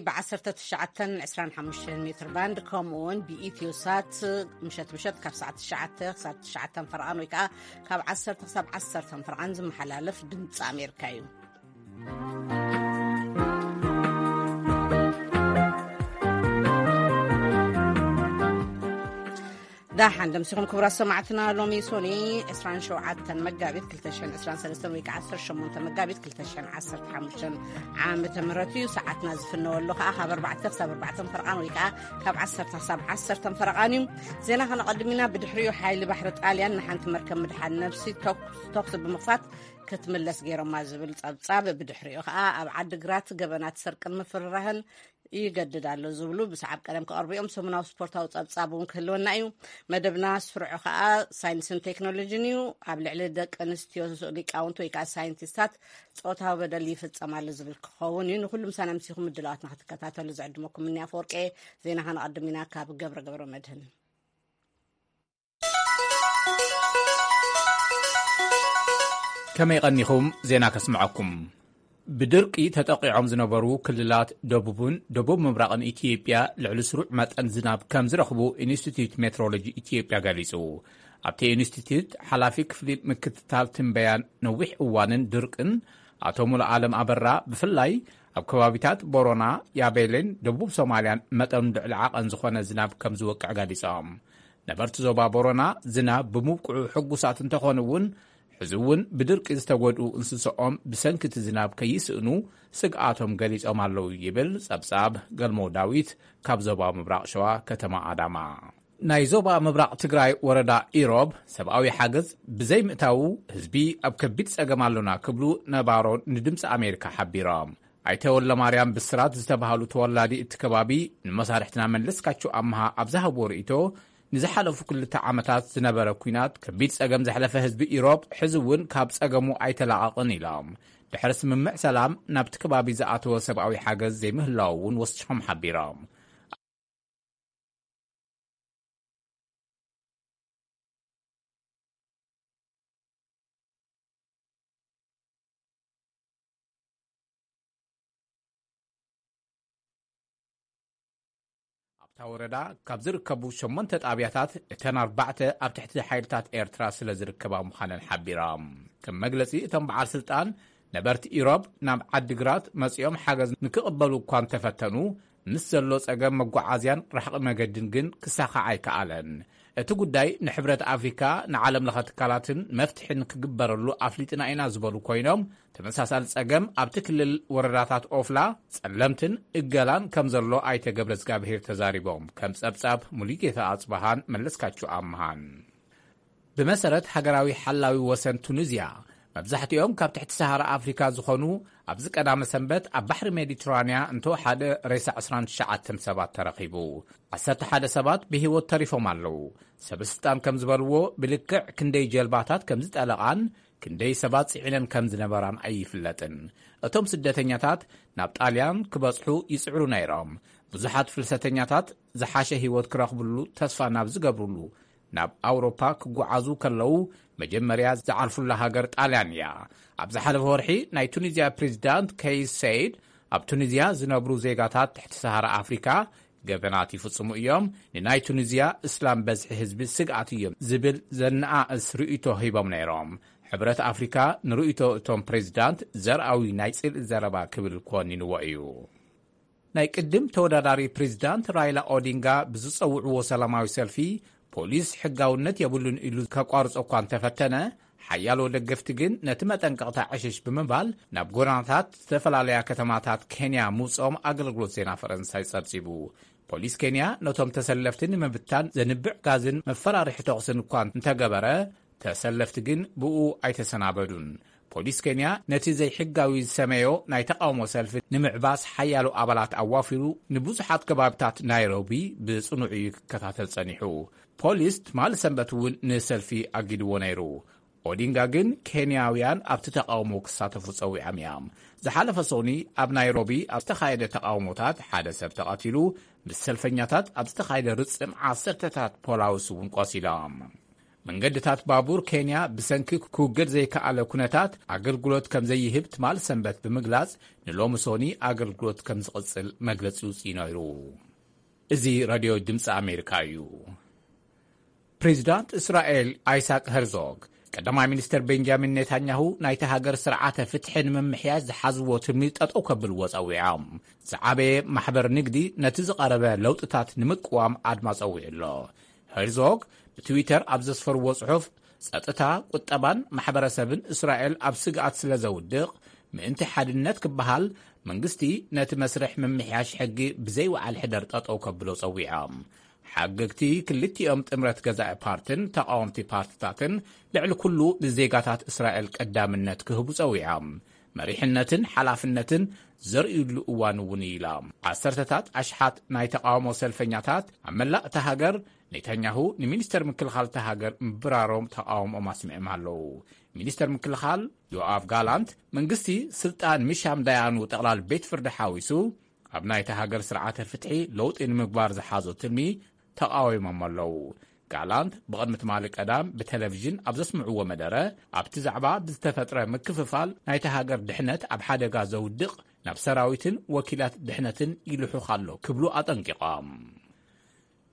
ብ19 25 ሜትር ባንድ፣ ከምኡ እውን ብኢትዮ ሳት ምሸት ምሸት ካብ ሰዓት ትሽዓተ ክሳብ ትሽዓተ ፈርቓን ወይ ከዓ ካብ ዓሰርተ ክሳብ ዓሰርተ ፈርቓን ዝመሓላለፍ ድምፂ ኣሜሪካ እዩ። ዳሓን ደምሲኹም ክቡራት ሰማዕትና። ሎሚ ሶኒ ዕስራን ሸውዓተን መጋቢት ክልተ ሽሕን ዕስራን ሰለስተን ወይ ከዓ ዓሰርተ ሸሞንተ መጋቢት ክልተ ሽሕን ዓሰርተ ሓሙሽተን ዓመተ ምህረት እዩ። ሰዓትና ዝፍነወሉ ከዓ ካብ ኣርባዕተ ክሳብ ኣርባዕተን ፈርቓን ወይ ከዓ ካብ ዓሰርተ ክሳብ ዓሰርተን ፈርቓን እዩ። ዜና ከነቐድም ኢና። ብድሕሪኡ ሓይሊ ባሕሪ ጣልያን ንሓንቲ መርከብ ምድሓን ነብሲ ተኩስ ተኩሲ ብምኽፋት ክትምለስ ገይሮማ ዝብል ጸብጻብ፣ ብድሕሪኡ ከዓ ኣብ ዓዲግራት ገበናት ስርቅን ምፍርራህን ይገድድ ኣሎ ዝብሉ ብሰዓብ ቀደም ክቐርቡ እዮም። ሰሙናዊ ስፖርታዊ ጸብጻብ እውን ክህልወና እዩ። መደብና ስርዑ ከዓ ሳይንስን ቴክኖሎጂን እዩ። ኣብ ልዕሊ ደቂ ኣንስትዮ ሊቃውንቲ ወይ ከዓ ሳይንቲስታት ጾታዊ በደል ይፍጸም ኣሎ ዝብል ክኸውን እዩ። ንኩሉ ምሳና ምሲኹም ምድላዋትና ክትከታተሉ ዝዕድመኩም እኒ ኣፈወርቂ። ዜና ከነቐድም ኢና ካብ ገብረ ገብረ መድህን። ከመይ ቀኒኹም? ዜና ከስምዐኩም። ብድርቂ ተጠቒዖም ዝነበሩ ክልላት ደቡብን ደቡብ ምብራቕን ኢትዮጵያ ልዕሊ ስሩዕ መጠን ዝናብ ከም ዝረኽቡ ኢንስቲትዩት ሜትሮሎጂ ኢትዮጵያ ገሊጹ። ኣብቲ ኢንስቲትዩት ሓላፊ ክፍሊ ምክትታል ትንበያን ነዊሕ እዋንን ድርቅን ኣቶ ሙሉዓለም ኣበራ፣ ብፍላይ ኣብ ከባቢታት ቦሮና፣ ያቤሌን ደቡብ ሶማልያን መጠኑ ልዕሊ ዓቐን ዝኾነ ዝናብ ከም ዝወቅዕ ገሊጾም። ነበርቲ ዞባ ቦሮና ዝናብ ብምብቅዑ ሕጉሳት እንተኾኑ እውን፣ ሕዚ እውን ብድርቂ ዝተጎድኡ እንስሳኦም ብሰንኪ እቲ ዝናብ ከይስእኑ ስግኣቶም ገሊጾም ኣለዉ ይብል ጸብጻብ ገልሞ ዳዊት ካብ ዞባ ምብራቕ ሸዋ ከተማ ኣዳማ። ናይ ዞባ ምብራቕ ትግራይ ወረዳ ኢሮብ ሰብኣዊ ሓገዝ ብዘይምእታዉ ህዝቢ ኣብ ከቢድ ጸገም ኣሎና ክብሉ ነባሮ ንድምፂ ኣሜሪካ ሓቢሮም። ኣይተ ወልደማርያም ብስራት ዝተባህሉ ተወላዲ እቲ ከባቢ ንመሳርሕትና መለስካቸው ኣምሃ ኣብ ዝሃብዎ ርእይቶ፣ ንዝሓለፉ ክልተ ዓመታት ዝነበረ ኲናት ከቢድ ጸገም ዘሕለፈ ህዝቢ ኢሮብ ሕዚ እውን ካብ ጸገሙ ኣይተላቐቕን ኢሎም። ድሕሪ ስምምዕ ሰላም ናብቲ ከባቢ ዝኣተወ ሰብኣዊ ሓገዝ ዘይምህላዉ እውን ወሲኾም ሓቢሮም። ኣብታ ወረዳ ካብ ዝርከቡ ሸሞንተ ጣብያታት እተን ኣርባዕተ ኣብ ትሕቲ ሓይልታት ኤርትራ ስለ ዝርከባ ምዃነን ሓቢሮም። ከም መግለጺ እቶም በዓል ስልጣን፣ ነበርቲ ኢሮብ ናብ ዓዲግራት መጺኦም ሓገዝ ንክቕበሉ እኳ እንተፈተኑ፣ ምስ ዘሎ ጸገም መጓዓዝያን ርሕቂ መገድን ግን ክሳኻዕ ኣይከኣለን። እቲ ጉዳይ ንሕብረት ኣፍሪካ፣ ንዓለም ለኸ ትካላትን መፍትሒ ንክግበረሉ ኣፍሊጥና ኢና ዝበሉ ኮይኖም፣ ተመሳሳሊ ጸገም ኣብቲ ክልል ወረዳታት ኦፍላ፣ ጸለምትን እገላን ከም ዘሎ ኣይተ ገብረ እግዚኣብሄር ተዛሪቦም። ከም ጸብጻብ ሙሉጌታ ኣጽበሃን መለስካቸው ኣምሃን። ብመሰረት ሃገራዊ ሓላዊ ወሰን ቱኒዝያ፣ መብዛሕትኦም ካብ ትሕቲ ሰሃራ ኣፍሪካ ዝኾኑ፣ ኣብዚ ቀዳመ ሰንበት ኣብ ባሕሪ ሜዲትራንያ እንተወሓደ ሬሳ ዕስራን ትሽዓተን ሰባት ተረኺቡ። ዓሰርተ ሓደ ሰባት ብህይወት ተሪፎም ኣለዉ። ሰበስልጣን ከም ዝበልዎ፣ ብልክዕ ክንደይ ጀልባታት ከም ዝጠለቓን ክንደይ ሰባት ጽዒነን ከም ዝነበራን ኣይፍለጥን። እቶም ስደተኛታት ናብ ጣልያን ክበጽሑ ይጽዕሩ ነይሮም። ብዙሓት ፍልሰተኛታት ዝሓሸ ህይወት ክረኽብሉ ተስፋ ናብ ዝገብርሉ ናብ ኣውሮፓ ክጓዓዙ ከለዉ፣ መጀመርያ ዝዓርፉላ ሃገር ጣልያን እያ። ኣብ ዝሓለፈ ወርሒ ናይ ቱኒዝያ ፕሬዚዳንት ከይስ ሰይድ፣ ኣብ ቱኒዝያ ዝነብሩ ዜጋታት ትሕቲ ሰሃራ ኣፍሪካ ገበናት ይፍጽሙ እዮም፣ ንናይ ቱኒዝያ እስላም በዝሒ ህዝቢ ስግኣት እዮም ዝብል ዘነኣእስ ርእይቶ ሂቦም ነይሮም። ሕብረት ኣፍሪካ ንርእይቶ እቶም ፕሬዚዳንት ዘርኣዊ ናይ ጽልኢ ዘረባ ክብል ኮኒንዎ እዩ። ናይ ቅድም ተወዳዳሪ ፕሬዚዳንት ራይላ ኦዲንጋ ብዝጸውዕዎ ሰላማዊ ሰልፊ፣ ፖሊስ ሕጋውነት የብሉን ኢሉ ከቋርጾ እኳ እንተፈተነ፣ ሓያሎ ደገፍቲ ግን ነቲ መጠንቀቕታ ዕሽሽ ብምባል ናብ ጎደናታት ዝተፈላለያ ከተማታት ኬንያ ምውጽኦም ኣገልግሎት ዜና ፈረንሳይ ጸብጺቡ። ፖሊስ ኬንያ ነቶም ተሰለፍቲ ንምብታን ዘንብዕ ጋዝን መፈራርሒ ተኹስን እኳ እንተገበረ፣ ተሰለፍቲ ግን ብኡ ኣይተሰናበዱን። ፖሊስ ኬንያ ነቲ ዘይሕጋዊ ዝሰመዮ ናይ ተቃውሞ ሰልፊ ንምዕባስ ሓያሎ ኣባላት ኣዋፊሩ ንብዙሓት ከባቢታት ናይሮቢ ብጽኑዕ እዩ ክከታተል ጸኒሑ። ፖሊስ ትማሊ ሰንበት እውን ንሰልፊ ኣጊድዎ ነይሩ። ኦዲንጋ ግን ኬንያውያን ኣብቲ ተቃውሞ ክሳተፉ ጸዊዖም እዮም። ዝሓለፈ ሶኒ ኣብ ናይሮቢ ኣብ ዝተኻየደ ተቃውሞታት ሓደ ሰብ ተቐቲሉ፣ ምስ ሰልፈኛታት ኣብ ዝተኻየደ ርጽም ዓሰርተታት ፖላውስ እውን ቆሲሎም። መንገድታት ባቡር ኬንያ ብሰንኪ ክውገድ ዘይከኣለ ኩነታት ኣገልግሎት ከም ዘይህብ ትማል ሰንበት ብምግላጽ፣ ንሎሚ ሶኒ ኣገልግሎት ከም ዝቕጽል መግለጺ ውጽኢ ነይሩ። እዚ ራድዮ ድምፂ ኣሜሪካ እዩ። ፕሬዚዳንት እስራኤል ኣይሳቅ ሄርዞግ፣ ቀዳማይ ሚኒስትር ቤንጃሚን ኔታንያሁ ናይቲ ሃገር ስርዓተ ፍትሒ ንምምሕያሽ ዝሓዝዎ ትልሚ ጠጠው ከብልዎ ጸዊዖም። ዝዓበየ ማሕበር ንግዲ ነቲ ዝቐረበ ለውጥታት ንምቅዋም ኣድማ ጸዊዑ ኣሎ። ሄርዞግ ብትዊተር ኣብ ዘስፈርዎ ጽሑፍ፣ ጸጥታ፣ ቁጠባን ማሕበረሰብን እስራኤል ኣብ ስግኣት ስለ ዘውድቕ፣ ምእንቲ ሓድነት ክበሃል፣ መንግስቲ ነቲ መስርሕ ምምሕያሽ ሕጊ ብዘይወዓል ሕደር ጠጠው ከብሎ ጸዊዖም። ሓገግቲ ክልቲኦም ጥምረት ገዛኢ ፓርትን ተቓወምቲ ፓርትታትን ልዕሊ ኩሉ ንዜጋታት እስራኤል ቀዳምነት ክህቡ ጸዊዖም። መሪሕነትን ሓላፍነትን ዘርእዩሉ እዋን እውን እዩ ኢላ። ዓሰርተታት ኣሽሓት ናይ ተቓውሞ ሰልፈኛታት ኣብ መላእ እታ ሃገር ኔታንያሁ ንሚኒስተር ምክልኻል እታ ሃገር ምብራሮም ተቓውሞኦም ኣስሚዖም ኣለዉ። ሚኒስተር ምክልኻል ዮኣቭ ጋላንት፣ መንግስቲ ስልጣን ምሻም ዳያኑ ጠቕላል ቤት ፍርዲ ሓዊሱ ኣብ ናይታ ሃገር ስርዓተ ፍትሒ ለውጢ ንምግባር ዝሓዞ ትልሚ ተቓዊሞም ኣለዉ። ጋላንት ብቕድሚ ትማሊ ቀዳም ብቴሌቪዥን ኣብ ዘስምዕዎ መደረ፣ ኣብቲ ዛዕባ ብዝተፈጥረ ምክፍፋል ናይታ ሃገር ድሕነት ኣብ ሓደጋ ዘውድቕ፣ ናብ ሰራዊትን ወኪላት ድሕነትን ይልሑኽ ኣሎ ክብሉ ኣጠንቂቖም።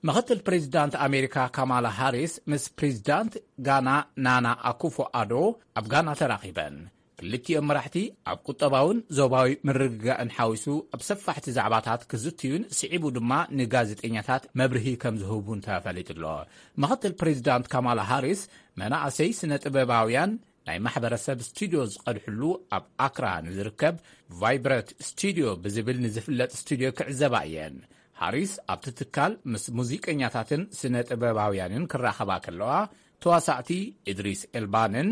ምኽትል ፕሬዚዳንት ኣሜሪካ ካማላ ሃሪስ ምስ ፕሬዚዳንት ጋና ናና ኣኩፎ ኣዶ ኣብ ጋና ተራኺበን። ክልቲኦም መራሕቲ ኣብ ቁጠባውን ዞባዊ ምርግጋእን ሓዊሱ ኣብ ሰፋሕቲ ዛዕባታት ክዝትዩን ስዒቡ ድማ ንጋዜጠኛታት መብርሂ ከም ዝህቡን ተፈሊጡ ኣሎ። ምኽትል ፕሬዚዳንት ካማላ ሃሪስ መናእሰይ ስነ ጥበባውያን ናይ ማሕበረሰብ ስቱድዮ ዝቐድሕሉ ኣብ ኣክራ ንዝርከብ ቫይብረት ስቱድዮ ብዝብል ንዝፍለጥ ስቱድዮ ክዕዘባ እየን። ሃሪስ ኣብቲ ትካል ምስ ሙዚቀኛታትን ስነ ጥበባውያንን ክራኸባ ከለዋ፣ ተዋሳእቲ ኢድሪስ ኤልባንን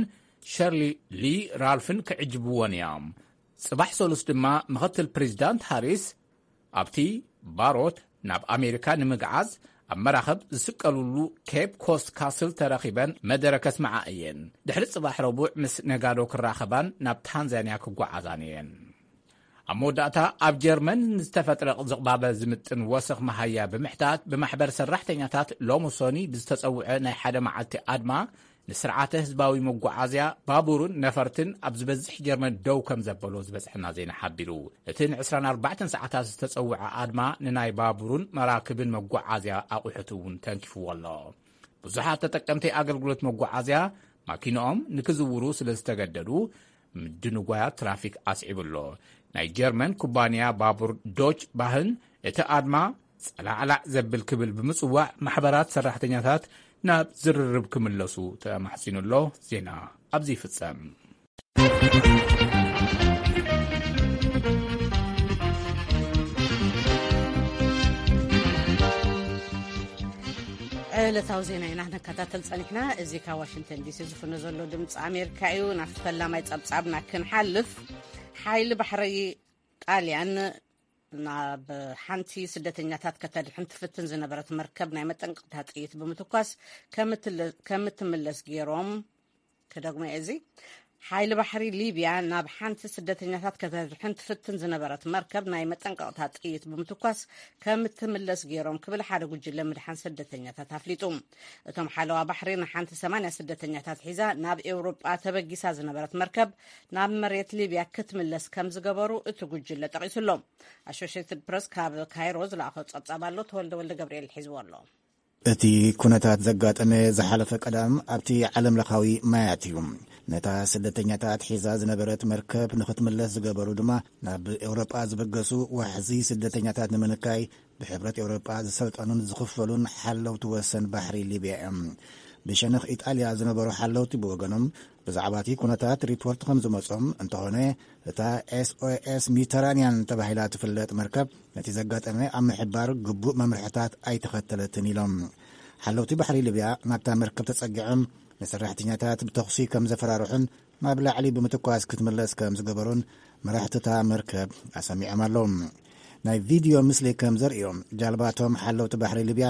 ሸርሊ ሊ ራልፍን ክዕጅብወን እዮም። ጽባሕ ሰሉስ ድማ ምኽትል ፕሬዚዳንት ሃሪስ ኣብቲ ባሮት ናብ ኣሜሪካ ንምግዓዝ ኣብ መራኸብ ዝስቀሉሉ ኬፕ ኮስት ካስል ተረኺበን መደረ ከስምዓ እየን። ድሕሪ ጽባሕ ረቡዕ ምስ ነጋዶ ክራኸባን ናብ ታንዛንያ ክጓዓዛን እየን። ኣብ መወዳእታ፣ ኣብ ጀርመን ንዝተፈጥረ ዝቕባበ ዝምጥን ወሰኽ መሃያ ብምሕታት፣ ብማሕበር ሰራሕተኛታት ሎሚ ሶኒ ብዝተጸውዐ ናይ ሓደ መዓልቲ ኣድማ፣ ንስርዓተ ህዝባዊ መጓዓዝያ፣ ባቡርን ነፈርትን ኣብ ዝበዝሕ ጀርመን ደው ከም ዘበሎ ዝበጽሐና ዜና ሓቢሩ። እቲ ን ዕስራን ኣርባዕተን ሰዓታት ዝተጸውዐ ኣድማ፣ ንናይ ባቡርን መራክብን መጓዓዝያ ኣቑሑት እውን ተንኪፍዎ ኣሎ። ብዙሓት ተጠቀምቲ ኣገልግሎት መጓዓዝያ፣ ማኪንኦም ንክዝውሩ ስለ ዝተገደዱ፣ ምድንጓያት ትራፊክ ኣስዒቡ ኣሎ። ናይ ጀርመን ኩባንያ ባቡር ዶች ባህን፣ እቲ ኣድማ ጸላዕላዕ ዘብል ክብል ብምጽዋዕ፣ ማሕበራት ሰራሕተኛታት ናብ ዝርርብ ክምለሱ ተማሕጺኑ ኣሎ። ዜና ኣብዚ ይፍጸም። ዕለታዊ ዜና ኢና ነከታተል ጸኒሕና። እዚ ካብ ዋሽንግተን ዲሲ ዝፍኖ ዘሎ ድምፂ ኣሜሪካ እዩ። ናብቲ ፈላማይ ጸብጻብና ክንሓልፍ፣ ሓይሊ ባሕሪ ጣልያን ናብ ሓንቲ ስደተኛታት ከተድሕን ትፍትን ዝነበረት መርከብ ናይ መጠንቀቕታ ጥይት ብምትኳስ ከምትለ-፣ ከምትምለስ ገይሮም። ክደግሞ እየ እዚ። ሓይሊ ባሕሪ ሊብያ ናብ ሓንቲ ስደተኛታት ከተድሕን ትፍትን ዝነበረት መርከብ ናይ መጠንቀቕታ ጥይት ብምትኳስ ከምትምለስ ገይሮም ክብል ሓደ ጉጅለ ምድሓን ስደተኛታት ኣፍሊጡ። እቶም ሓለዋ ባሕሪ ንሓንቲ ሰማንያ ስደተኛታት ሒዛ ናብ ኤውሮጳ ተበጊሳ ዝነበረት መርከብ ናብ መሬት ሊብያ ክትምለስ ከም ዝገበሩ እቲ ጉጅለ ጠቒሱ ኣሎ። ኣሶሽየትድ ፕረስ ካብ ካይሮ ዝለኣኾ ጸብጻብ ኣሎ፣ ተወልደ ወልደ ገብርኤል ሒዝዎ ኣሎ። እቲ ኩነታት ዘጋጠመ ዝሓለፈ ቀዳም ኣብቲ ዓለምለኻዊ ማያት እዩ። ነታ ስደተኛታት ሒዛ ዝነበረት መርከብ ንኽትምለስ ዝገበሩ ድማ፣ ናብ ኤውሮጳ ዝበገሱ ዋሕዚ ስደተኛታት ንምንካይ ብሕብረት ኤውሮጳ ዝሰልጠኑን ዝኽፈሉን ሓለውቲ ወሰን ባሕሪ ሊብያ እዮም። ብሸነኽ ኢጣልያ ዝነበሩ ሓለውቲ ብወገኖም፣ ብዛዕባ እቲ ኩነታት ሪፖርት ከም ዝመጾም፣ እንተኾነ እታ ኤስኦኤስ ሜዲተራንያን ተባሂላ ትፍለጥ መርከብ ነቲ ዘጋጠመ ኣብ ምሕባር ግቡእ መምርሕታት ኣይተኸተለትን ኢሎም። ሓለውቲ ባሕሪ ሊብያ ናብታ መርከብ ተጸጊዖም፣ ንሰራሕተኛታት ብተኹሲ ከም ዘፈራርሑን ናብ ላዕሊ ብምትኳስ ክትምለስ ከም ዝገበሩን መራሕቲ እታ መርከብ ኣሰሚዖም ኣለዉ። ናይ ቪድዮ ምስሊ ከም ዘርእዮ፣ ጃልባቶም ሓለውቲ ባሕሪ ሊብያ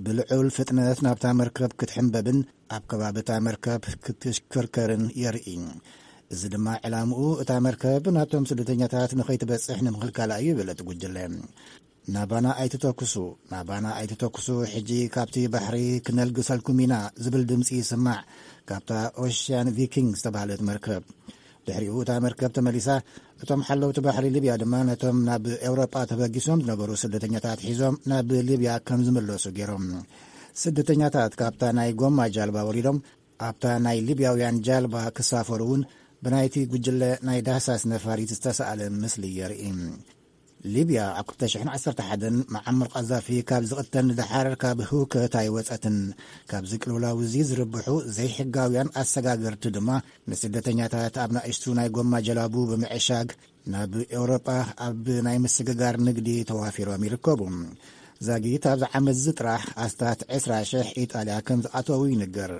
ብልዑል ፍጥነት ናብታ መርከብ ክትሕንበብን ኣብ ከባቢ እታ መርከብ ክትሽክርከርን የርኢ። እዚ ድማ ዕላምኡ እታ መርከብ ናብቶም ስደተኛታት ንኸይትበጽሕ ንምኽልካላ እዩ ይብል እቲ ጉጅለ። "ናባና ኣይትተኩሱ፣ ናባና ኣይትተኩሱ፣ ሕጂ ካብቲ ባሕሪ ክነልግሰልኩም ኢና" ዝብል ድምጺ ይስማዕ፣ ካብታ ኦሽያን ቪኪንግ ዝተባህለት መርከብ። ድሕሪኡ እታ መርከብ ተመሊሳ፣ እቶም ሓለውቲ ባሕሪ ሊብያ ድማ ነቶም ናብ ኤውሮጳ ተበጊሶም ዝነበሩ ስደተኛታት ሒዞም ናብ ሊብያ ከም ዝምለሱ ገይሮም። ስደተኛታት ካብታ ናይ ጎማ ጃልባ ወሪዶም ኣብታ ናይ ሊብያውያን ጃልባ ክሳፈሩ እውን ብናይቲ ጉጅለ ናይ ዳህሳስ ነፋሪት ዝተሳእለ ምስሊ የርኢ። ሊብያ ኣብ ክልተ ሽሕን ዓሰርተ ሓደን መዓመር ቃዛፊ ካብ ዝቕተል ንደሓር ካብ ህውከት ኣይወጸትን። ካብዚ ቅልውላው እዚ ዝርብሑ ዘይሕጋውያን ኣሰጋገርቲ ድማ ንስደተኛታት ኣብ ናእሽቱ ናይ ጎማ ጀላቡ ብምዕሻግ ናብ ኤውሮጳ ኣብ ናይ ምስግጋር ንግዲ ተዋፊሮም ይርከቡ። ዛጊት ኣብዚ ዓመት እዚ ጥራሕ ኣስታት ዕስራ ሽሕ ኢጣልያ ከም ዝኣተዉ ይንገር።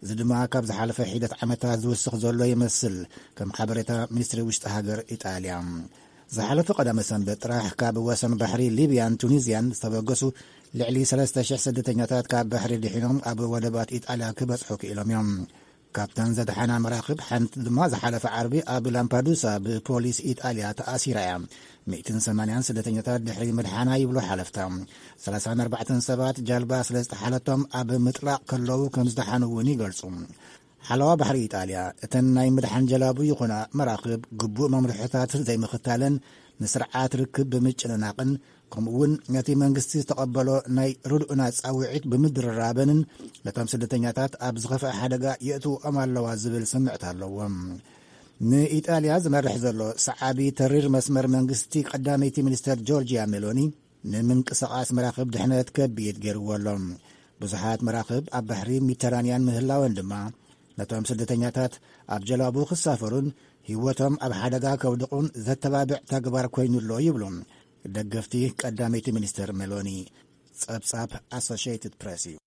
እዚ ድማ ካብ ዝሓለፈ ሒደት ዓመታት ዝውስኽ ዘሎ ይመስል፣ ከም ሓበሬታ ሚኒስትሪ ውሽጢ ሃገር ኢጣልያ። ዝሓለፈ ቀዳመ ሰንበት ጥራሕ ካብ ወሰን ባሕሪ ሊብያን ቱኒዝያን ዝተበገሱ ልዕሊ ሰለስተ ሽሕ ስደተኛታት ካብ ባሕሪ ድሒኖም ኣብ ወደባት ኢጣልያ ክበጽሑ ክኢሎም እዮም። ካብተን ዘድሓና መራኽብ ሓንቲ ድማ ዝሓለፈ ዓርቢ ኣብ ላምፓዱሳ ብፖሊስ ኢጣልያ ተኣሲራ እያ። ሚእትን ሰማንያን ስደተኛታት ድሕሪ ምድሓና ይብሉ ሓለፍታ። ሰላሳን ኣርባዕተን ሰባት ጃልባ ስለ ዝጠሓለቶም ኣብ ምጥላቕ ከለዉ ከም ዝደሓኑ እውን ይገልጹ። ሓለዋ ባሕሪ ኢጣልያ እተን ናይ ምድሓን ጀላቡ ይኹና መራኽብ ግቡእ መምርሕታት ዘይምኽታለን ንስርዓት ርክብ ብምጭንናቕን ከምኡ እውን ነቲ መንግስቲ ዝተቐበሎ ናይ ርድኡና ጻውዒት ብምድርራበንን ነቶም ስደተኛታት ኣብ ዝኸፍአ ሓደጋ የእትውኦም ኣለዋ ዝብል ስምዕት ኣለዎም። ንኢጣልያ ዝመርሕ ዘሎ ሰዓቢ ተሪር መስመር መንግስቲ ቀዳመይቲ ሚኒስተር ጆርጂያ ሜሎኒ ንምንቅስቓስ መራኽብ ድሕነት ከቢድ ገይርዎ ኣሎ። ብዙሓት መራኽብ ኣብ ባሕሪ ሜዲተራንያን ምህላወን ድማ ነቶም ስደተኛታት ኣብ ጀላቡ ክሳፈሩን ህይወቶም ኣብ ሓደጋ ከውድቑን ዘተባብዕ ተግባር ኮይኑ ኣሎ ይብሉ ደገፍቲ ቀዳመይቲ ሚኒስተር ሜሎኒ። ጸብጻብ ኣሶሽየትድ ፕሬስ እዩ።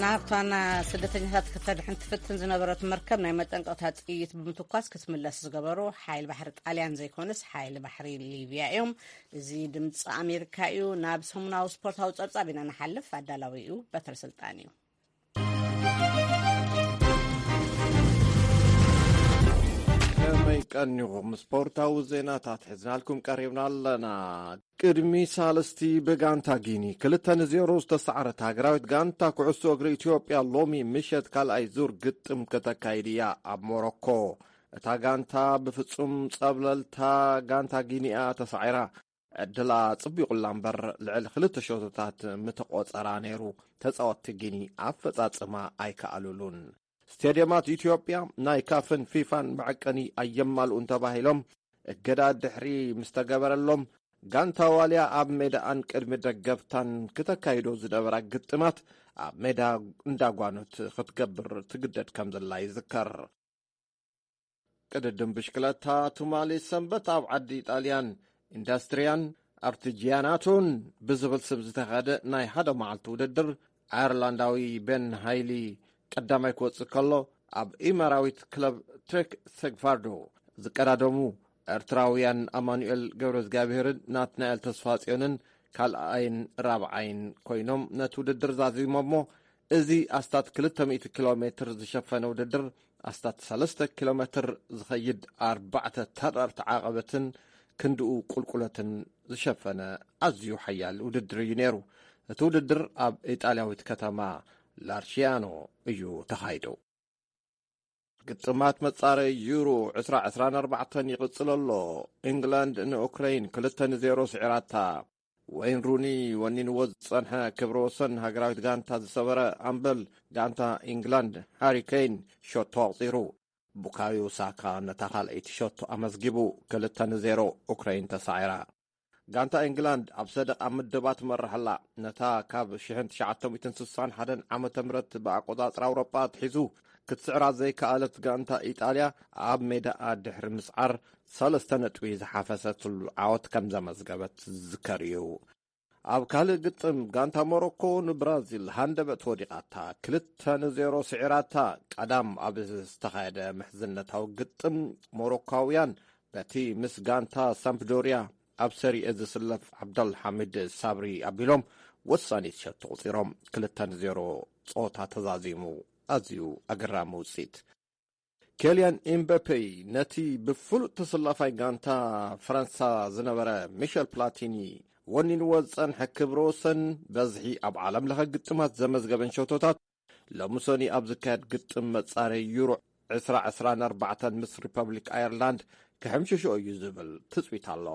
ናብታና ስደተኛታት ከተድሕን ትፍትን ዝነበረት መርከብ ናይ መጠንቀቕታ ጥይት ብምትኳስ ክትምለስ ዝገበሩ ሓይል ባሕሪ ጣልያን ዘይኮነስ ሓይል ባሕሪ ሊብያ እዮም። እዚ ድምፂ ኣሜሪካ እዩ። ናብ ሰሙናዊ ስፖርታዊ ጸብጻብ ኢና ንሓልፍ። ኣዳላዊ እዩ በትረ ስልጣን እዩ። ከመይ ቀኒኹም? ስፖርታዊ ዜናታት ሒዝናልኩም ቀሪብና ኣለና። ቅድሚ ሳልስቲ ብጋንታ ጊኒ ክልተ ንዜሮ ዝተሳዕረት ሃገራዊት ጋንታ ኩዕሶ እግሪ ኢትዮጵያ ሎሚ ምሸት ካልኣይ ዙር ግጥም ከተካይድ እያ ኣብ ሞሮኮ። እታ ጋንታ ብፍጹም ጸብለልታ ጋንታ ጊኒኣ ተሳዒራ። ዕድላ ጽቢቑላ እምበር ልዕሊ ክልተ ሸቶታት ምተቖጸራ ነይሩ። ተጻወትቲ ጊኒ ኣፈጻጽማ ኣይከኣሉሉን። ስቴድየማት ኢትዮጵያ ናይ ካፍን ፊፋን መዐቀኒ ኣየማልኡን ተባሂሎም እገዳ ድሕሪ ምስ ተገበረሎም፣ ጋንታ ዋልያ ኣብ ሜዳኣን ቅድሚ ደገፍታን ክተካይዶ ዝነበራ ግጥማት ኣብ ሜዳ እንዳጓኖት ክትገብር ትግደድ ከም ዘላ ይዝከር። ቅድድም ብሽክለታ ትማሊ ሰንበት ኣብ ዓዲ ጣልያን ኢንዳስትሪያን ኣርቲጂያናቶን ብዝብል ስም ዝተኻየደ ናይ ሓደ መዓልቲ ውድድር፣ ኣየርላንዳዊ ቤን ሃይሊ ቀዳማይ ክወጽእ ከሎ፣ ኣብ ኢማራዊት ክለብ ትሬክ ሴግቫርዶ ዝቀዳደሙ ኤርትራውያን ኣማኑኤል ገብረዝጋብሔርን ናትናኤል ተስፋጽዮንን ካልኣይን ራብዓይን ኮይኖም ነቲ ውድድር ዛዚሞሞ። እዚ ኣስታት ክልተ ሚእቲ ኪሎ ሜትር ዝሸፈነ ውድድር ኣስታት ሰለስተ ኪሎ ሜትር ዝኸይድ ኣርባዕተ ተራርቲ ዓቐበትን ክንድኡ ቁልቁለትን ዝሸፈነ ኣዝዩ ሓያል ውድድር እዩ ነይሩ። እቲ ውድድር ኣብ ኢጣልያዊት ከተማ ላርቺያኖ እዩ ተኻይዱ። ግጥማት መጻረዪ ዩሮ ዕስራ ዕስራን ኣርባዕተን ይቕጽል ኣሎ። ኢንግላንድ ንኡክረይን ክልተ ንዜሮ ስዒራታ። ወይን ሩኒ ወኒንዎ ዝጸንሐ ክብረ ወሰን ሃገራዊት ጋንታ ዝሰበረ ኣምበል ጋንታ ኢንግላንድ ሃሪ ኬን ሸቶ ኣቑጺሩ። ቡካዮ ሳካ ነታ ካልኣይቲ ሸቶ ኣመዝጊቡ። ክልተ ንዜሮ ኡክረይን ተሳዒራ። ጋንታ ኢንግላንድ ኣብ ሰደቓ ምድባ ትመርሕ ኣላ። ነታ ካብ ሽሕን ትሽዓተ ሚእትን ስሳን ሓደን ዓመተ ምህረት ብኣቆጻጽራ ኣውሮጳ ኣትሒዙ ክትስዕራ ዘይከኣለት ጋንታ ኢጣልያ ኣብ ሜዳኣ ድሕሪ ምስዓር ሰለስተ ነጥቢ ዝሓፈሰትሉ ዓወት ከም ዘመዝገበት ዝዝከር እዩ። ኣብ ካልእ ግጥም ጋንታ ሞሮኮ ንብራዚል ሃንደበት ወዲቓታ ክልተ ንዜሮ ስዒራታ። ቀዳም ኣብ ዝተኻየደ ምሕዝነታዊ ግጥም ሞሮኮውያን በቲ ምስ ጋንታ ሳምፕዶርያ ኣብ ሰሪኤ ዝስለፍ ዓብደልሓሚድ ሳብሪ ኣቢሎም ወሳኒት ሸቶ ቁጺሮም። ክልተ ንዜሮ ጸወታ ተዛዚሙ። ኣዝዩ ኣገራሚ ውጽኢት። ኬልያን ኤምባፔ ነቲ ብፍሉጥ ተሰላፋይ ጋንታ ፈረንሳ ዝነበረ ሚሸል ፕላቲኒ ወኒንዎ ዝጸንሐ ክብረ ወሰን በዝሒ ኣብ ዓለም ለኸ ግጥማት ዘመዝገበን ሸቶታት ሎሚ ሰኑይ ኣብ ዝካየድ ግጥም መጻረዪ ዩሮ ዕስራ ዕስራን ኣርባዕተን ምስ ሪፐብሊክ ኣየርላንድ ክሕምሽሾ እዩ ዝብል ትጽቢት ኣሎ።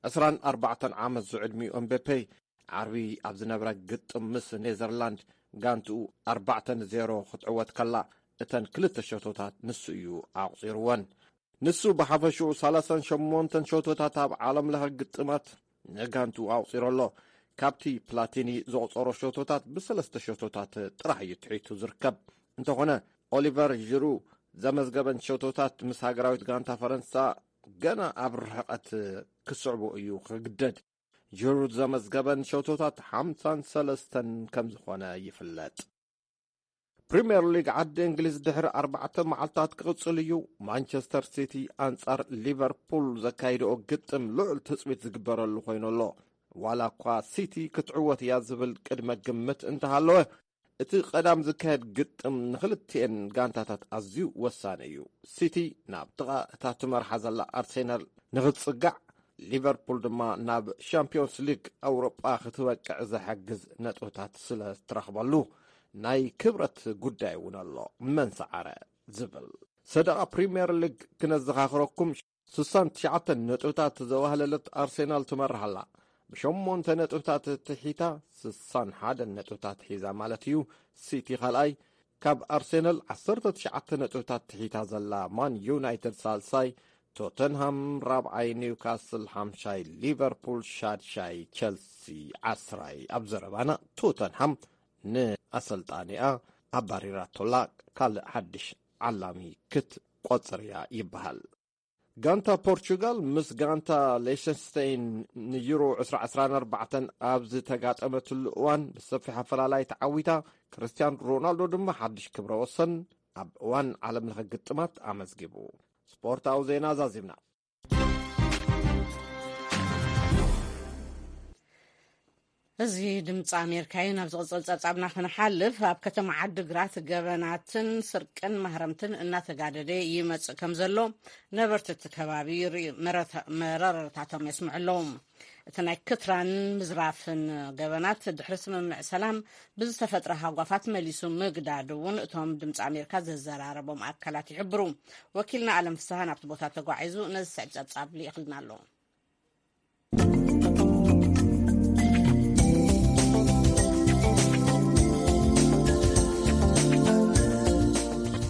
ዕስራን ኣርባዕተን ዓመት ዝዕድሚኡ ኤምባፔ ዓርቢ ኣብ ዝነበረ ግጥም ምስ ኔዘርላንድ ጋንትኡ ኣርባዕተ ንዜሮ ክትዕወት ከላ እተን ክልተ ሸቶታት ንሱ እዩ ኣቑጺርወን። ንሱ ብሓፈሽኡ ሰላሳን ሸሞንተን ሸቶታት ኣብ ዓለም ለኸ ግጥማት ንጋንትኡ ኣቑጺሩ ኣሎ። ካብቲ ፕላቲኒ ዘቑጸሮ ሸቶታት ብሰለስተ ሸቶታት ጥራሕ እዩ ትሒቱ ዝርከብ። እንተኾነ ኦሊቨር ዥሩ ዘመዝገበን ሸቶታት ምስ ሃገራዊት ጋንታ ፈረንሳ ገና ኣብ ርሕቐት ክስዕቡ እዩ ክግደድ። ጅሩድ ዘመዝገበን ሸቶታት ሓምሳን ሰለስተን ከም ዝኾነ ይፍለጥ። ፕሪምየር ሊግ ዓዲ እንግሊዝ ድሕሪ ኣርባዕተ መዓልታት ክቕጽል እዩ። ማንቸስተር ሲቲ ኣንጻር ሊቨርፑል ዘካይድኦ ግጥም ልዑል ትጽቢት ዝግበረሉ ኮይኑ ኣሎ። ዋላ እኳ ሲቲ ክትዕወት እያ ዝብል ቅድመ ግምት እንተሃለወ፣ እቲ ቀዳም ዝካየድ ግጥም ንኽልቲኤን ጋንታታት ኣዝዩ ወሳኒ እዩ። ሲቲ ናብ ጥቓ እታ ትመርሓ ዘላ ኣርሴናል ንኽትጽጋዕ፣ ሊቨርፑል ድማ ናብ ሻምፒዮንስ ሊግ ኣውሮጳ ክትበቅዕ ዝሕግዝ ነጥብታት ስለ ትረኽበሉ ናይ ክብረት ጉዳይ እውን ኣሎ። መን ሰዓረ ዝብል ሰደቓ ፕሪምየር ሊግ ክነዘኻኽረኩም፣ ስሳን ትሽዓተን ነጥብታት ዘዋህለለት ኣርሴናል ትመርሕ ኣላ። ብሸሞንተ ነጥብታት ትሒታ ስሳን ሓደን ነጥብታት ሒዛ ማለት እዩ። ሲቲ ካልኣይ፣ ካብ ኣርሴናል ዓሰርተ ትሽዓተ ነጥብታት ትሒታ ዘላ ማን ዩናይትድ ሳልሳይ፣ ቶተንሃም ራብዓይ፣ ኒውካስል ሓምሻይ፣ ሊቨርፑል ሻድሻይ፣ ቸልሲ ዓስራይ። ኣብ ዘረባና ቶተንሃም ንኣሰልጣኒኣ ኣባሪራቶላ ካልእ ሓድሽ ዓላሚ ክትቆጽር እያ ይበሃል። ጋንታ ፖርቹጋል ምስ ጋንታ ሌሸንስተይን ንዩሮ ዕስራ ዕስራን ኣርባዕተን ኣብ ዝተጋጠመትሉ እዋን ብሰፊሕ ኣፈላላይ ተዓዊታ፣ ክርስቲያን ሮናልዶ ድማ ሓድሽ ክብረ ወሰን ኣብ እዋን ዓለም ለኸ ግጥማት ኣመዝጊቡ። ስፖርታዊ ዜና ዛዚምና። እዚ ድምፂ ኣሜሪካ እዩ። ናብ ዝቕፅል ፀብፃብና ክንሓልፍ፣ ኣብ ከተማ ዓዲግራት ገበናትን ስርቅን ማህረምትን እናተጋደደ ይመፅእ ከም ዘሎ ነበርቲ እቲ ከባቢ ይርእዩ፣ መረታ-፣ መረረታቶም የስምዑ ኣለዉ። እቲ ናይ ክትራን ምዝራፍን ገበናት ድሕሪ ስምምዕ ሰላም ብዝተፈጥረ ሃጓፋት መሊሱ ምግዳዱ እውን እቶም ድምፂ ኣሜሪካ ዘዘራረቦም ኣካላት ይሕብሩ። ወኪልና ኣለም ፍስሃ ናብቲ ቦታ ተጓዒዙ ነዚ ስዕብ ፀብፃብ ልኢኽልና ኣሎ።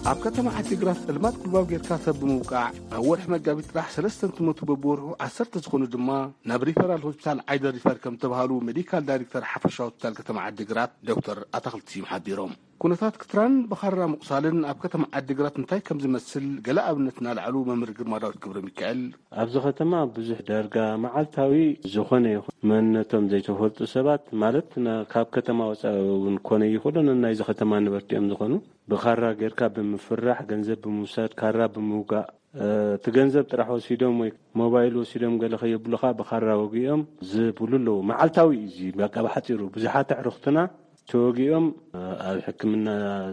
ኣብ ከተማ ዓዲግራት ጸልማት ጉልባብ ጌርካ ሰብ ብምውቃዕ፣ ኣብ ወርሒ መጋቢት ጥራሕ ሰለስተ እንትሞቱ፣ በብወርሑ ዓሰርተ ዝኾኑ ድማ ናብ ሪፈራል ሆስፒታል ዓይደር ሪፈር ከም ተባሃሉ ሜዲካል ዳይሬክተር ሓፈሻ ሆስፒታል ከተማ ዓዲግራት ዶክተር ኣታኽልቲ ስዩም ሓቢሮም። ኩነታት ክትራን ብኻራ ምቑሳልን ኣብ ከተማ ዓዲግራት እንታይ ከም ዝመስል ገለ ኣብነት እናልዓሉ መምህር ግርማ ዳዊት ገብረ ሚካኤል፣ ኣብዚ ከተማ ብዙሕ ዳርጋ መዓልታዊ ዝኾነ ይኹን መንነቶም ዘይተፈልጡ ሰባት፣ ማለት ና-፣ ካብ ከተማ ወፃኢ እውን ኮነ ይኽእሉ፣ ናይዚ ከተማ ነበርቲ እዮም ዝኾኑ፣ ብኻራ ጌርካ ብምፍራሕ፣ ገንዘብ ብምውሳድ፣ ካራ ብምውጋእ፣ እ፣ እቲ ገንዘብ ጥራሕ ወሲዶም ወይ ሞባይል ወሲዶም ገለ ከየብሉኻ ብኻራ ወጊኦም ዝብሉ ኣለዉ። መዓልታዊ እዩ እዚ። በቃ ብሓፂሩ ብዙሓት ኣዕሩኽትና ተወጊኦም፣ እ፣ ኣብ ሕክምና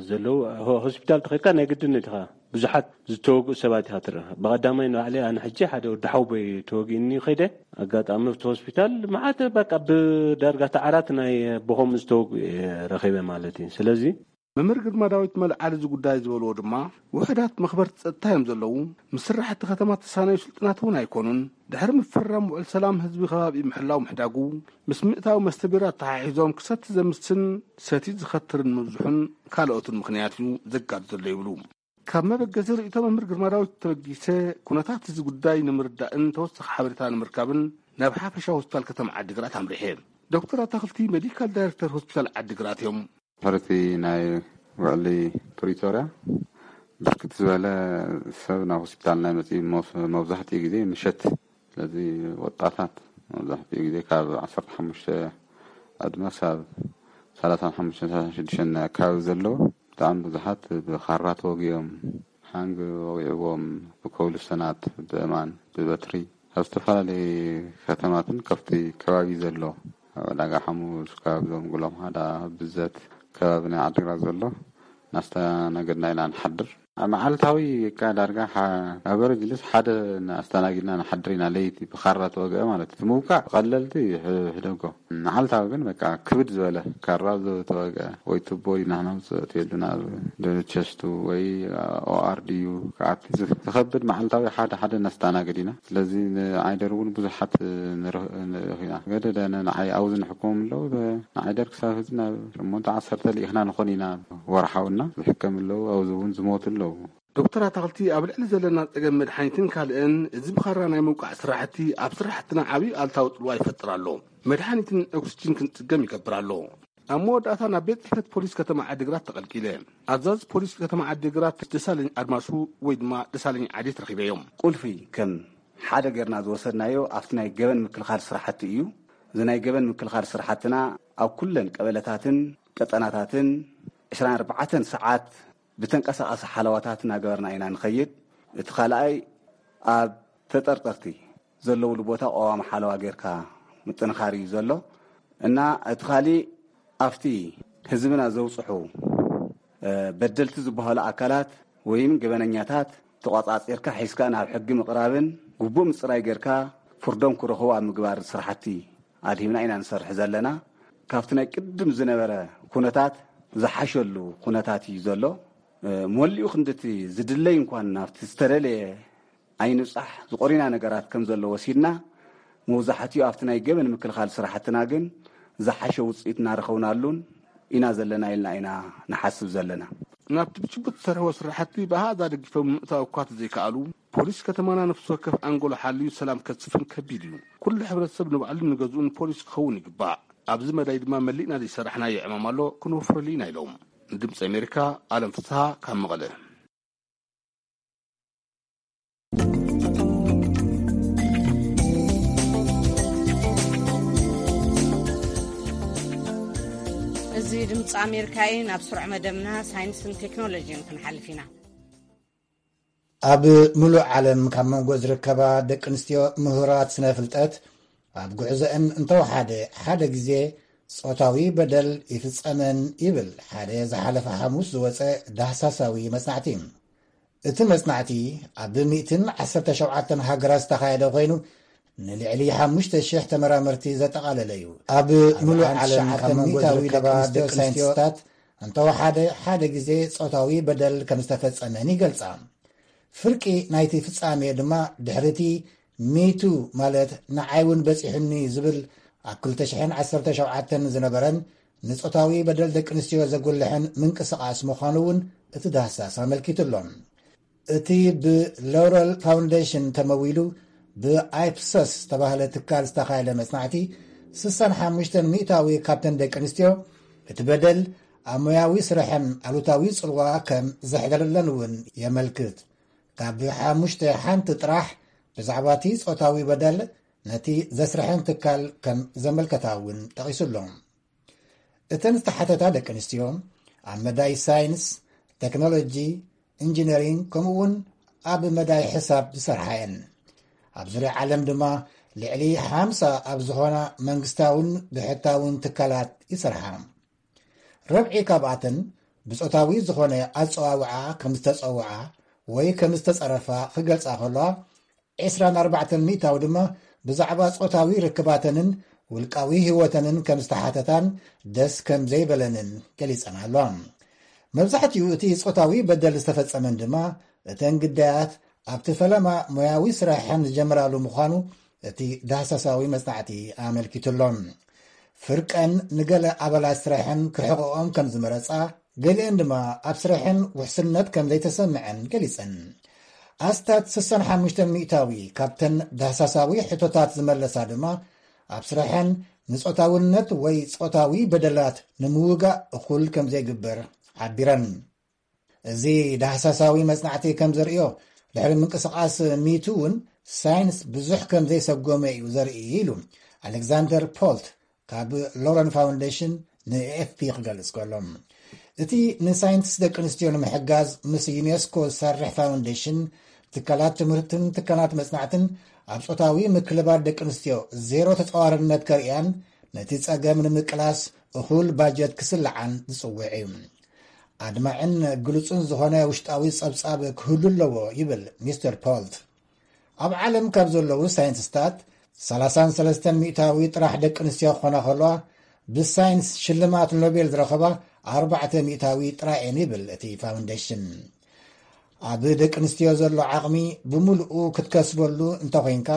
ዘለዉ፣ ሆ-፣ ሆስፒታል ተኸድካ ናይ ግድን ኢኻ ብዙሓት ዝተወግኡ ሰባት ኢኻ ትረአ። ብቐዳማይ ንባዕለይ ኣነ ሕጂ ሓደ ወዲ ሓውቦይ ተወጊእኒ ከይደ፣ ኣጋጣሚ ኣብቲ ሆስፒታል መዓት በቃ ብዳርጋ ተዓራት ናይ ብኸምኡ ዝተወግኡ እየ ረኺበ ማለት እዩ። ስለዚ መምህር ግርማ ዳዊት መልዓሊ እዚ ጉዳይ ዝበልዎ ድማ፣ ውሑዳት መኽበርቲ ጸጥታ እዮም ዘለዉ፣ ምስ ስራሕቲ ከተማ ተሳነዩ ስልጡናት እውን ኣይኮኑን። ድሕሪ ምፍራም ውዕል ሰላም ህዝቢ ከባቢ ምሕላው ምሕዳጉ፣ ምስ ምእታው መስተ ቢራ ኣተሓሒዞም ክሰቲ ዘምስን ሰቲ ዝኸትርን ምብዝሑን ካልኦትን ምኽንያት እዩ ዘጋድድ ዘሎ ይብሉ። ካብ መበገሲ ርእይቶ መምህር ግርማ ዳዊት ተበጊሰ፣ ኩነታት እዚ ጉዳይ ንምርዳእን ተወሳኺ ሓበሬታ ንምርካብን ናብ ሓፈሻ ሆስፒታል ከተማ ዓዲግራት ኣምሪሐ። ዶክተር ኣታኽልቲ ሜዲካል ዳይሬክተር ሆስፒታል ዓዲግራት እዮም። ድሕሪ እቲ ናይ ውዕሊ ፕሪቶርያ ብርክት ዝበለ ሰብ ናብ ሆስፒታልና ይመጽእ እዩ። መብዛሕትኡ ግዜ ምሸት። ስለዚ ወጣታት መብዛሕትኡ ግዜ ካብ ዓሰርተ ሓሙሽተ ዕድመ ክሳብ ሰላሳን ሓሙሽተን ሰላሳን ሽዱሽተን ኣካባቢ ዘለዉ ብጣዕሚ ብዙሓት ብኻራ ተወጊኦም፣ ሓንግ ወጊዕዎም፣ ብኮብልስተናት፣ ብእማን፣ ብበትሪ ካብ ዝተፈላለዩ ከተማትን ካብቲ ከባቢ ዘሎ ኣብ ዕዳጋ ሓሙስ፣ ካብ ዞም ጉሎም ሃዳ፣ ብዘት ከባቢ ናይ ዓዲግራት ዘሎ እናስተናገድና ኢና ንሓድር። ኣብ መዓልታዊ እካ ዳርጋ ሓ-፣ ኣብ ኣቨሬጅ ልስ ሓደ ኣስተናጊድና ንሓድር ኢና። ለይቲ ብኻራ ተወግአ ማለት እዩ። እቲ ምውቃዕ ቀለልቲ ሕ-፣ ሕደጎ። መዓልታዊ ግን በቃ ክብድ ዝበለ ካራ ዝተወግአ ወይ ቱቦ ኢና ነውፅእ፣ እቲ የድና ቸስቱ ወይ ኦኣር ድዩ ክኣቲ ዝ-፣ ዝኸብድ መዓልታዊ ሓደ ሓደ ነስተናግድ ኢና። ስለዚ ንዓይደር እውን ብዙሓት ንርህ-፣ ንልእኽ ኢና። ገደደ ንዓይ ኣብዚ ንሕክሞም ኣለዉ። ንዓይደር ክሳብ ህዚ ናብ ሸሞንተ ዓሰርተ ልኢኽና ንኾን ኢና ወርሓውና። ዝሕከም ኣለዉ፣ ኣብዚ እውን ዝሞቱ ኣለዉ። ዶክተር ኣታኽልቲ፣ ኣብ ልዕሊ ዘለና ጸገም መድሓኒትን ካልእን፣ እዚ ብኻራ ናይ ምውቃዕ ስራሕቲ ኣብ ስራሕትና ዓብዪ ኣልታዊ ጽልዋ ይፈጥር ኣሎ። መድሓኒትን ኦክስጅን ክንጽገም ይገብር ኣሎ። ኣብ መወዳእታ ናብ ቤት ጽሕፈት ፖሊስ ከተማ ዓዲግራት ተቐልቂለ። ኣዛዚ ፖሊስ ከተማ ዓዲግራት ደሳለኝ ኣድማሱ ወይ ድማ ደሳለኝ ዓዴት ረኺበዮም። ቁልፊ ከም ሓደ ጌርና ዝወሰድናዮ ኣብቲ ናይ ገበን ምክልኻል ስራሕቲ እዩ። እዚ ናይ ገበን ምክልኻል ስራሕትና ኣብ ኩለን ቀበለታትን ቀጠናታትን ዕስራን ኣርባዕተን ሰዓት ብተንቀሳቓሲ ሓለዋታት እናገበርና ኢና ንኸይድ። እቲ ካልኣይ ኣብ ተጠርጠርቲ ዘለውሉ ቦታ ቀዋሚ ሓለዋ ጌርካ ምጥንኻር እዩ ዘሎ። እና እቲ ካሊእ ኣብቲ ህዝብና ዘውፅሑ፣ እ፣ በደልቲ ዝበሃሉ ኣካላት ወይም ገበነኛታት ተቋፃፂርካ ሒዝካ ናብ ሕጊ ምቕራብን ግቡእ ምፅራይ ጌርካ ፍርዶም ክረኽቡ ኣብ ምግባር ስራሕቲ ኣድሂብና ኢና ንሰርሕ ዘለና። ካብቲ ናይ ቅድም ዝነበረ ኩነታት ዝሓሸሉ ኩነታት እዩ ዘሎ። እ፣ መሊኡ ክንድቲ ዝድለይ እንኳን ናብቲ ዝተደለየ ኣይንብጻሕ ዝቆሪና ነገራት ከም ዘሎ ወሲድና፣ መብዛሕትኡ ኣብቲ ናይ ገበን ምክልኻል ስራሕትና ግን ዝሓሸ ውጽኢት እናረኸብናሉን ኢና ዘለና ኢልና ኢና ንሓስብ ዘለና። ናብቲ ብችቡት ዝሰርሕዎ ስራሕቲ ብኣሃዛ ደጊፎም ምእታው እኳ ተዘይከኣሉ፣ ፖሊስ ከተማና ነፍሲ ወከፍ ኣንጎሎ ሓልዩ ሰላም ከስፍን ከቢድ እዩ። ኩሉ ሕብረተሰብ ንባዕሉን ንገዝኡን ፖሊስ ክኸውን ይግባእ። ኣብዚ መዳይ ድማ መሊእና ዘይሰራሕናዮ ዕማም ኣሎ፣ ክንወፍረሉ ኢና ኢሎም። ንድምፂ ኣሜሪካ፣ ኣለም ፍስሃ ካብ መቐለ። እዚ ድምፂ ኣሜሪካ እዩ። ናብ ስሩዕ መደብና ሳይንስን ቴክኖሎጂን ክንሓልፍ ኢና። ኣብ ምሉእ ዓለም ካብ መንጎ ዝርከባ ደቂ ኣንስትዮ ምሁራት ስነ ፍልጠት፣ ኣብ ጉዕዞአን እንተወሓደ ሓደ ግዜ ጾታዊ በደል ይፍጸመን ይብል ሓደ ዝሓለፈ ሓሙስ ዝወጸ ዳህሳሳዊ መጽናዕቲ። እቲ መጽናዕቲ ኣብ ሚእትን ዓሰርተ ሸውዓተን ሃገራት ዝተኻየደ ኮይኑ፣ ንልዕሊ ሓሙሽተ ሽሕ ተመራመርቲ ዘጠቓለለ እዩ። ኣብ ኣብ ምሉእ ዓለም ካብ መንጎ ዝርከባ ደቂ ኣንስትዮ ሳይንቲስታት እንተወሓደ ሓደ ግዜ ጾታዊ በደል ከም ዝተፈጸመን ይገልጻ። ፍርቂ ናይቲ ፍጻሜ ድማ ድሕሪቲ ሚቱ ማለት ንዓይ እውን በጺሑኒ ዝብል ኣብ ክልተ ሽሕን ዓሰርተ ሸውዓተን ዝነበረን ንጾታዊ በደል ደቂ ኣንስትዮ ዘጉልሕን ምንቅስቓስ ምዃኑ እውን እቲ ዳህሳስ ኣመልኪቱ ኣሎ። እቲ ብሎረል ፋውንዴሽን ተመዊሉ ብኣይፕሶስ ዝተባህለ ትካል ዝተኻየደ መጽናዕቲ፣ ስሳን ሓሙሽተን ሚእታዊ ካብተን ደቂ ኣንስትዮ እቲ በደል ኣብ ሞያዊ ስርሐን ኣሉታዊ ጽልዋ ከም ዘሕደረለን እውን የመልክት። ካብ ሓሙሽተ ሓንቲ ጥራሕ ብዛዕባ እቲ ጾታዊ በደል ነቲ ዘስርሐን ትካል ከም ዘመልከታ እውን ጠቒሱ ኣሎ። እተን ዝተሓተታ ደቂ ኣንስትዮ ኣብ መዳይ ሳይንስ፣ ቴክኖሎጂ፣ ኢንጂነሪንግ ከምኡ እውን ኣብ መዳይ ሕሳብ ዝሰርሓ እየን። ኣብ ዙርያ ዓለም ድማ ልዕሊ ሓምሳ ኣብ ዝኾና መንግስታውን ብሕታውን ትካላት ይሰርሓ። ረብዒ ካብኣተን ብጾታዊ ዝኾነ ኣጸዋውዓ ከም ዝተጸውዓ ወይ ከም ዝተጸረፋ ክገልጻ ከለዋ፣ ዕስራን ኣርባዕተን ሚእታዊ ድማ ብዛዕባ ጾታዊ ርክባተንን ውልቃዊ ህይወተንን ከም ዝተሓተታን ደስ ከም ዘይበለንን ገሊጸን ኣለዋ። መብዛሕትኡ እቲ ጾታዊ በደል ዝተፈጸመን ድማ እተን ግዳያት ኣብቲ ፈለማ ሞያዊ ስራሐን ዝጀምራሉ ምዃኑ እቲ ዳህሳሳዊ መጽናዕቲ ኣመልኪቱ ኣሎ። ፍርቀን ንገለ ኣባላት ስራሐን ክርሕቕኦም ከም ዝመረጻ፣ ገሊአን ድማ ኣብ ስራሐን ውሕስነት ከም ዘይተሰምዐን ገሊጸን። ኣስታት ስሳን ሓሙሽተን ሚእታዊ ካብተን ዳህሳሳዊ ሕቶታት ዝመለሳ ድማ ኣብ ስራሐን ንጾታውነት ወይ ጾታዊ በደላት ንምውጋእ እኹል ከም ዘይግበር ሓቢረን። እዚ ዳህሳሳዊ መጽናዕቲ ከም ዘርእዮ፣ ድሕሪ ምንቅስቓስ ሚቱ እውን ሳይንስ ብዙሕ ከም ዘይሰጎመ እዩ ዘርኢ ኢሉ ኣሌክዛንደር ፖልት ካብ ሎረን ፋውንዴሽን ንኤኤፍፒ ክገልጽ ከሎ። እቲ ንሳይንቲስት ደቂ ኣንስትዮ ንምሕጋዝ ምስ ዩኔስኮ ዝሰርሕ ፋውንዴሽን፣ ትካላት ትምህርትን ትካላት መጽናዕትን ኣብ ጾታዊ ምክልባል ደቂ ኣንስትዮ ዜሮ ተጻዋርነት ከርእያን ነቲ ጸገም ንምቅላስ እኹል ባጀት ክስልዓን ዝጽውዕ እዩ። ኣድማዕን ግሉጽን ዝኾነ ውሽጣዊ ጸብጻብ ክህሉ ኣለዎ ይብል ሚስተር ፖልት። ኣብ ዓለም ካብ ዘለዉ ሳይንቲስታት ሰላሳን ሰለስተን ሚእታዊ ጥራሕ ደቂ ኣንስትዮ ክኾና ከለዋ፣ ብሳይንስ ሽልማት ኖቤል ዝረኸባ ኣርባዕተ ሚእታዊ ጥራይ እየን ይብል እቲ ፋውንዴሽን። ኣብ ደቂ ኣንስትዮ ዘሎ ዓቕሚ ብምሉኡ ክትከስበሉ እንተኾይንካ፣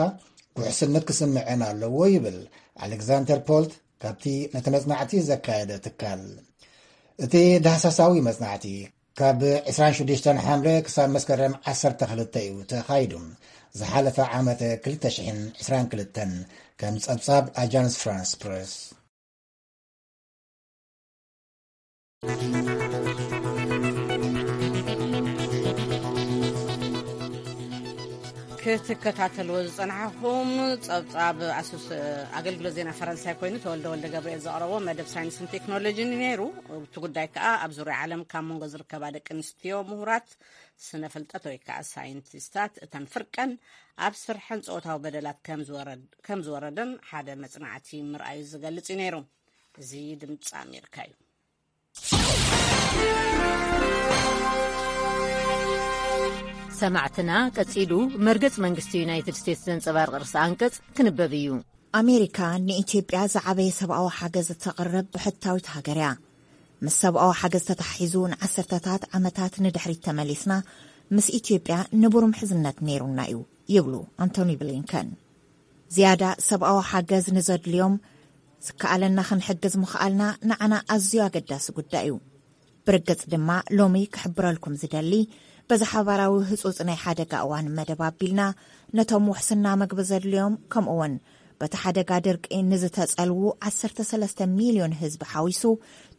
ውሕስነት ክስምዐን ኣለዎ ይብል ኣሌክዛንደር ፖልት ካብቲ ነቲ መጽናዕቲ ዘካየደ ትካል። እቲ ዳህሳሳዊ መጽናዕቲ ካብ ዕስራን ሽዱሽተን ሓምለ ክሳብ መስከረም ዓሰርተ ክልተ እዩ ተኻይዱ። ዝሓለፈ ዓመት ክልተ ሽሕን ዕስራን ክልተን ከም ጸብጻብ ኣጃንስ ፍራንስ ፕረስ። ክትከታተልዎ ዝጸናሕኹም ጸብጻብ ኣሱስ ኣገልግሎት ዜና ፈረንሳይ ኮይኑ ተወልደ ወልደ ገብርኤል ዘቕረቦ መደብ ሳይንስን ቴክኖሎጂን እዩ ነይሩ። እቲ ጉዳይ ከኣ ኣብ ዙርያ ዓለም ካብ መንጎ ዝርከባ ደቂ ኣንስትዮ ምሁራት ስነ ፍልጠት ወይ ከኣ ሳይንቲስታት እተን ፍርቀን ኣብ ስርሐን ጾታዊ በደላት ከም ዝወረድ-፣ ከም ዝወረደን ሓደ መጽናዕቲ ምርኣዩ ዝገልጽ እዩ ነይሩ። እዚ ድምጺ ኣሜሪካ እዩ። ሰማዕትና፣ ቀጺሉ መርገጽ መንግስቲ ዩናይትድ ስቴትስ ዘንጸባርቕ ርእሰ ኣንቀጽ ክንበብ እዩ። ኣሜሪካ ንኢትዮጵያ ዝዓበየ ሰብኣዊ ሓገዝ እተቕርብ ብሕታዊት ሃገር እያ። ምስ ሰብኣዊ ሓገዝ ተታሒዙ ንዓሰርተታት ዓመታት ንድሕሪት ተመሊስና፣ ምስ ኢትዮጵያ ንቡር ምሕዝነት ነይሩና እዩ፣ ይብሉ ኣንቶኒ ብሊንከን። ዝያዳ ሰብኣዊ ሓገዝ ንዘድልዮም ዝከኣለና ክንሕግዝ ምኽኣልና ንዓና ኣዝዩ ኣገዳሲ ጉዳይ እዩ። ብርግጽ ድማ ሎሚ ክሕብረልኩም ዝደሊ፣ በዚ ሓባራዊ ህጹጽ ናይ ሓደጋ እዋን መደብ ኣቢልና፣ ነቶም ውሕስና መግቢ ዘድልዮም፣ ከምኡውን በቲ ሓደጋ ድርቂ ንዝተጸልዉ ዓሰርተ ሰለስተ ሚልዮን ህዝቢ ሓዊሱ፣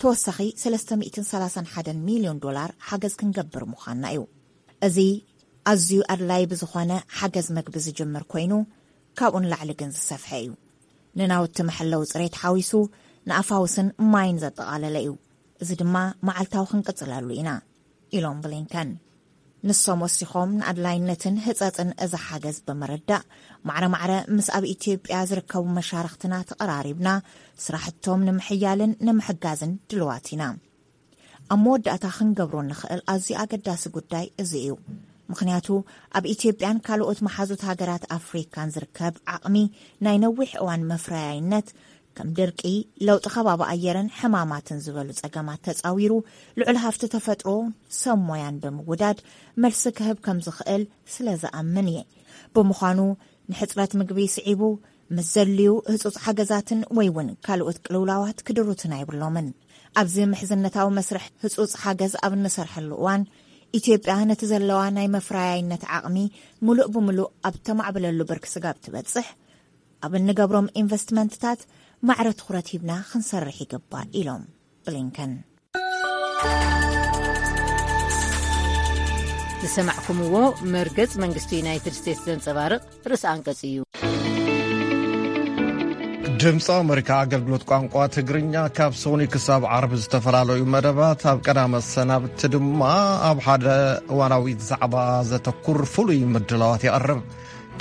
ተወሳኺ ሰለስተ ሚእትን ሰላሳን ሓደን ሚልዮን ዶላር ሓገዝ ክንገብር ምዃንና እዩ። እዚ ኣዝዩ ኣድላዪ ብዝኾነ ሓገዝ መግቢ ዝጅምር ኮይኑ፣ ካብኡ ንላዕሊ ግን ዝሰፍሐ እዩ። ንናውቲ መሐለዊ ጽሬት ሓዊሱ፣ ንኣፋውስን ማይን ዘጠቓለለ እዩ። እዚ ድማ መዓልታዊ ክንቅጽለሉ ኢና፣ ኢሎም ብሊንከን። ንሶም ወሲኾም፣ ንኣድላይነትን ህጸጽን እዚ ሓገዝ ብምርዳእ፣ ማዕረ ማዕረ ምስ ኣብ ኢትዮጵያ ዝርከቡ መሻርኽትና ተቐራሪብና፣ ስራሕቶም ንምሕያልን ንምሕጋዝን ድልዋት ኢና። ኣብ መወዳእታ ክንገብሮ እንኽእል ኣዝዩ ኣገዳሲ ጉዳይ እዚ እዩ። ምኽንያቱ፣ ኣብ ኢትዮጵያን ካልኦት መሓዙት ሃገራት ኣፍሪካን ዝርከብ ዓቕሚ ናይ ነዊሕ እዋን መፍረያይነት፣ ከም ድርቂ፣ ለውጢ ከባቢ ኣየርን ሕማማትን ዝበሉ ጸገማት ተጻዊሩ፣ ልዑል ሃፍቲ ተፈጥሮ ሰብ ሞያን ብምውዳድ መልሲ ክህብ ከም ዝኽእል ስለ ዝኣምን እየ። ብምዃኑ፣ ንሕጽረት ምግቢ ስዒቡ፣ ምስ ዘድልዩ ህጹጽ ሓገዛትን ወይ እውን ካልኦት ቅልውላዋት ክድሩትና የብሎምን። ኣብዚ ምሕዝነታዊ መስርሕ ህጹጽ ሓገዝ ኣብ እንሰርሐሉ እዋን፣ ኢትዮጵያ ነቲ ዘለዋ ናይ መፍረያይነት ዓቕሚ ምሉእ ብምሉእ ኣብ ተማዕብለሉ ብርኪ ስጋብ ትበጽሕ፣ ኣብ እንገብሮም ኢንቨስትመንትታት ማዕረ ትኹረት ሂብና ክንሰርሕ ይግባእ፣ ኢሎም ብሊንከን። ዝሰማዕኩምዎ መርገጽ መንግስቲ ዩናይትድ ስቴትስ ዘንጸባርቕ ርእሲ ኣንቀጽ እዩ። ድምፂ ኣሜሪካ ኣገልግሎት ቋንቋ ትግርኛ ካብ ሰኑይ ክሳብ ዓርቢ ዝተፈላለዩ መደባት ኣብ ቀዳመ ሰናብቲ ድማ ኣብ ሓደ እዋናዊ ዛዕባ ዘተኩር ፍሉይ ምድላዋት የቕርብ።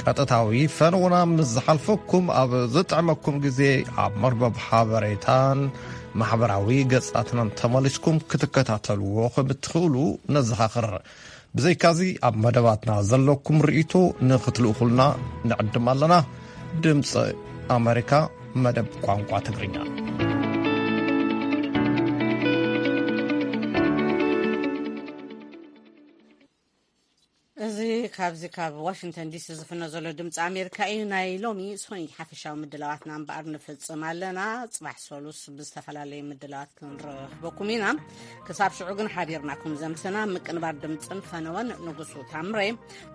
ቀጥታዊ ፈነውና ምስ ዝሓልፈኩም ኣብ ዝጥዕመኩም ግዜ ኣብ መርበብ ሓበሬታን ማሕበራዊ ገጻትናን ተመሊስኩም ክትከታተልዎ ከም እትኽእሉ ነዘኻኽር። ብዘይካዚ ኣብ መደባትና ዘለኩም ርእይቶ ንኽትልእኹልና ንዕድም ኣለና። ድምፂ ኣሜሪካ መደብ ቋንቋ ትግርኛ። እዚ ካብዚ ካብ ዋሽንግተን ዲሲ ዝፍኖ ዘሎ ድምፂ ኣሜሪካ እዩ። ናይ ሎሚ ሶኒ ሓፈሻዊ ምድላዋትና እምበኣር ንፍፅም ኣለና። ፅባሕ ሰሉስ ብዝተፈላለየ ምድላዋት ክንረኽበኩም ኢና። ክሳብ ሽዑ ግን ሓቢርናኩም ዘምስና ምቅንባር ድምፅን ፈነወን ንጉሱ ታምሬ፣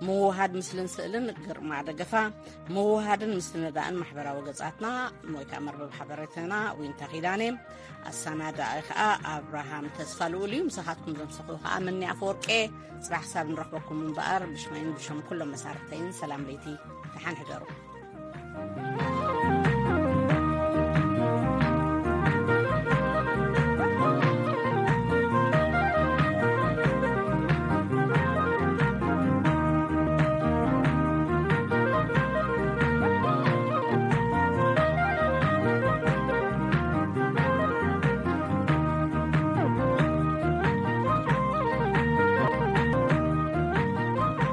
ምውሃድ ምስልን ስእልን ግርማ ደገፋ፣ ምውሃድን ምስትንዳእን ማሕበራዊ ገጻትና ወይ ከዓ መርበብ ሓበሬታና ዊንታ ኪዳኔ፣ ኣሰናዳኢ ከዓ ኣብርሃም ተስፋ ልኡል እዩ። ምሳኻትኩም ዘምሰኹ ከዓ ምኒ ኣፈወርቄ። ጽባሕ ክሳብ ንረኽበኩም እምበኣር ብሽመይን ብሽም ኩሎም መሳርሕተይን ሰላም ለይቲ፣ ደሓን ሕደሩ።